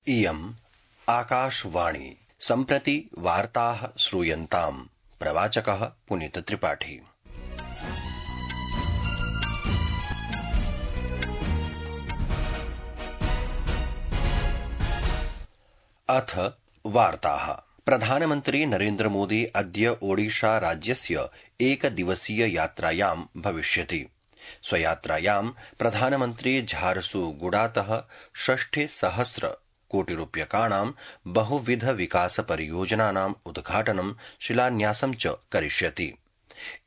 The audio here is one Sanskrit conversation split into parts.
इयम् आकाशवाणी। सम्प्रति वार्ताः श्रूयन्ताम्। प्रवाचकः पुनीत त्रिपाठी। अथ वार्ताः। प्रधानमन्त्री नरेन्द्र मोदी अद्य ओडिशा राज्यस्य एकदिवसीय यात्रायां भविष्यति। स्वयात्रायां प्रधानमन्त्री झारसुगुडातः 60,000 कोटिरूप्यकाणां बहुविध विकास परियोजनानाम् उद्घाटनं शिलान्यासं च करिष्यति।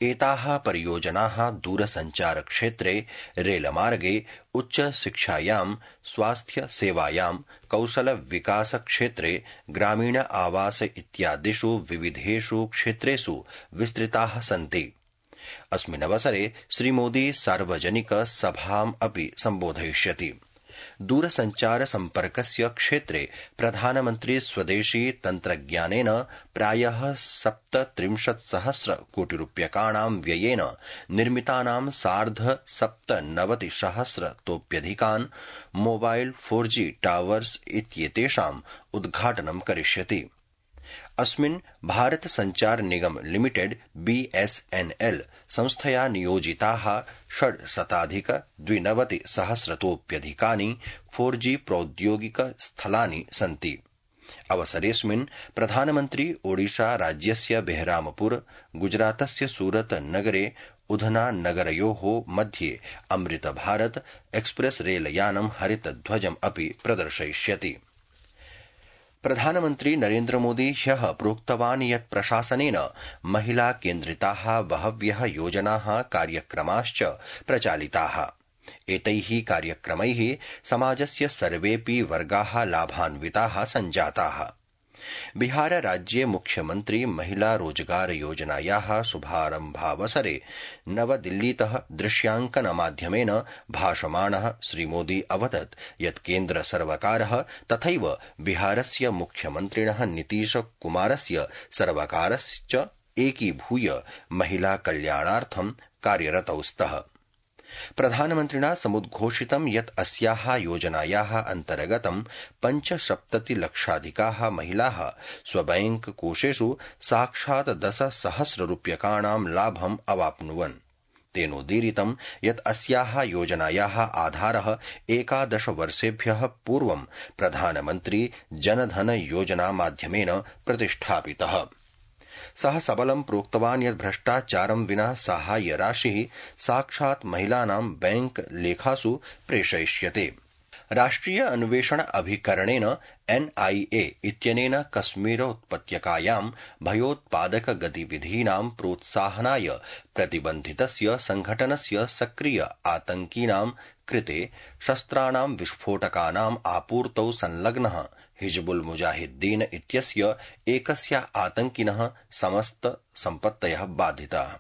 एताः परियोजनाः दूरसञ्चार क्षेत्रे, रेलमार्गे, उच्चशिक्षायां, स्वास्थ्य सेवायां, कौशल विकास क्षेत्रे, ग्रामीण आवास इत्यादिषु विविधेषु क्षेत्रेषु विस्तृताः सन्ति। अस्मिन्नवसरे श्रीमोदी सार्वजनिक सभाम् अपि सम्बोधयिष्यति। दूरसञ्चार सम्पर्कस्य क्षेत्रे प्रधानमन्त्री स्वदेशी तन्त्रज्ञानेन प्रायः 37,000 कोटिरूप्यकाणां व्ययेन निर्मितानां 97,000 तोऽप्यधिकान् मोबाइल 4G टावर्स इत्येतेषाम् उद्घाटनं करिष्यति। अस्मिन् भारत संचार निगम लिमिटेड BSNL संस्थया नियोजिताः 692,000 तोऽप्यधिकानि 4G प्रौद्योगिक स्थलानि सन्ति। अवसरेऽस्मिन् प्रधानमन्त्री ओडिशा राज्यस्य बेहरामपुर, गुजरातस्य सूरत नगरे उधना नगरयोः मध्ये अमृत भारत एक्सप्रेस रेलयानं हरितध्वजम् अपि प्रदर्शयिष्यति। प्रधानमन्त्री नरेन्द्र मोदी ह्यः प्रोक्तवान् यत् प्रशासनेन महिला केन्द्रिताः बहव्यः योजनाः कार्यक्रमाश्च प्रचालिताः। एतैः कार्यक्रमैः समाजस्य सर्वेऽपि वर्गाः लाभान्विताः सञ्जाताः। बिहार राज्ये मुख्यमन्त्री महिला रोजगार योजनायाः शुभारम्भावसरे नवदिल्लीतः दृश्यांकन माध्यमेन भाषमाणः श्रीमोदी अवदत् यत् केन्द्र सर्वकारः तथैव बिहारस्य मुख्यमन्त्रिणः नीतीश कुमारस्य सर्वकारश्च एकीभूय महिला कल्याणार्थं कार्यरतौ स्तः। प्रधानमन्त्रिणा समुद्घोषितं यत् अस्याः योजनायाः अन्तर्गतं 75,00,000 महिलाः स्वबैंक कोषेषु साक्षात् 10,000 रूप्यकाणां लाभम् अवाप्नुवन्। तेनोदीरितं यत् अस्याः योजनायाः आधारः 11 वर्षेभ्यः पूर्वं प्रधानमन्त्री जनधन योजना माध्यमेन प्रतिष्ठापितः। सः सबलं प्रोक्तवान् यत् भ्रष्टाचारं विना साहाय्यराशिः साक्षात् महिलानां बैंक लेखासु प्रेषयिष्यते। राष्ट्रिय अन्वेषण अभिकरणेन NIA इत्यनेन कश्मीरोत्पत्यकायां भयोत्पादक गतिविधीनां प्रोत्साहनाय प्रतिबन्धितस्य संघटनस्य सक्रिय आतंकिनां कृते शस्त्राणां विस्फोटकानाम् आपूर्तौ संलग्नः हिजबुल मुजाहिद्दीन इत्यस्य एकस्य आतंकिनः समस्त सम्पत्तयः बाधिताः।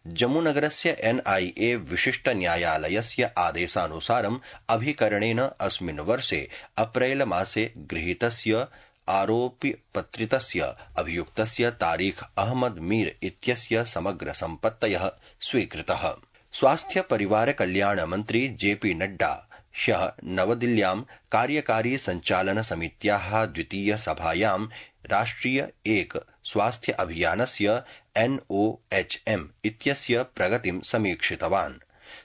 जम्मूनगरस्य NIA विशिष्ट न्यायालयस्य आदेशानुसारम् अभिकरणेन अस्मिन् वर्षे अप्रैल मासे गृहीतस्य आरोपिपत्रितस्य अभियुक्तस्य तारीख अहमद मीर इत्यस्य समग्र सम्पत्तयः स्वीकृतः। स्वास्थ्य परिवार कल्याण मन्त्री JP नड्डा ह्यः नवदिल्ल्यां कार्यकारी संचालन समित्याः द्वितीय सभायां राष्ट्रिय एक स्वास्थ्य अभियानस्य NOHM इत्यस्य प्रगतिं समीक्षितवान्।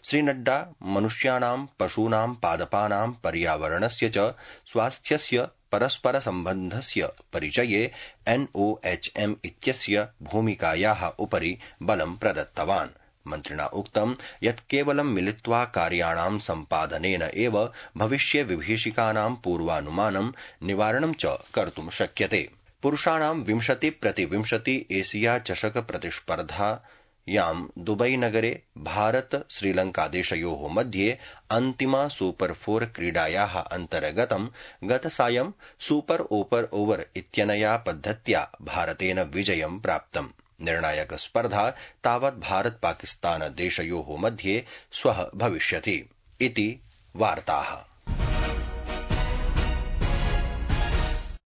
श्रीनड्डा मनुष्याणां, पशूनां, पादपानां, पर्यावरणस्य च स्वास्थ्यस्य परस्पर सम्बन्धस्य परिचये NOHM इत्यस्य भूमिकायाः उपरि बलं प्रदत्तवान्। मन्त्रिणा उक्तं यत् केवलं मिलित्वा कार्याणां सम्पादनेन एव भविष्य विभीषिकानां पूर्वानुमानं निवारणं च कर्तुं शक्यते। पुरुषाणां 20x20 एशिया चषक प्रतिस्पर्धायां दुबई नगरे भारत श्रीलंकादेशयोः मध्ये अन्तिमा सुपर 4 क्रीडायाः अन्तर्गतं गतसायं सुपर ओवर इत्यनया पद्धत्या भारतेन विजयं प्राप्तम्। निर्णायक स्पर्धा तावत् भारत पाकिस्तान देशयोः मध्ये श्वः भविष्यति इति वार्ताः।